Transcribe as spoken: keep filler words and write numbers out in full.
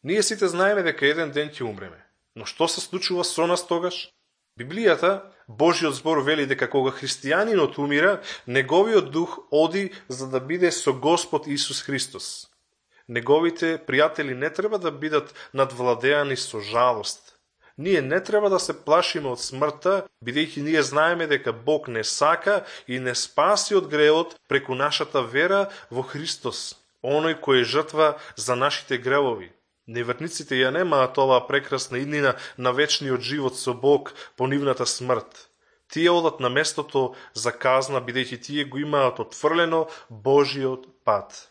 Ние сите знаеме дека еден ден ќе умреме. Но што се случува со нас тогаш? Библијата, Божиот збор вели дека кога христијанинот умира, неговиот дух оди за да биде со Господ Исус Христос. Неговите пријатели не треба да бидат надвладеани со жалост. Ние не треба да се плашиме од смртта, бидејќи ние знаеме дека Бог не сака и не спаси од гревот преку нашата вера во Христос, оној кој е жртва за нашите гревови. Неверниците ја немаат оваа прекрасна иднина на вечниот живот со Бог по нивната смрт. Тие одат на местото за казна, бидејќи тие го имаат отфрлено Божиот пат.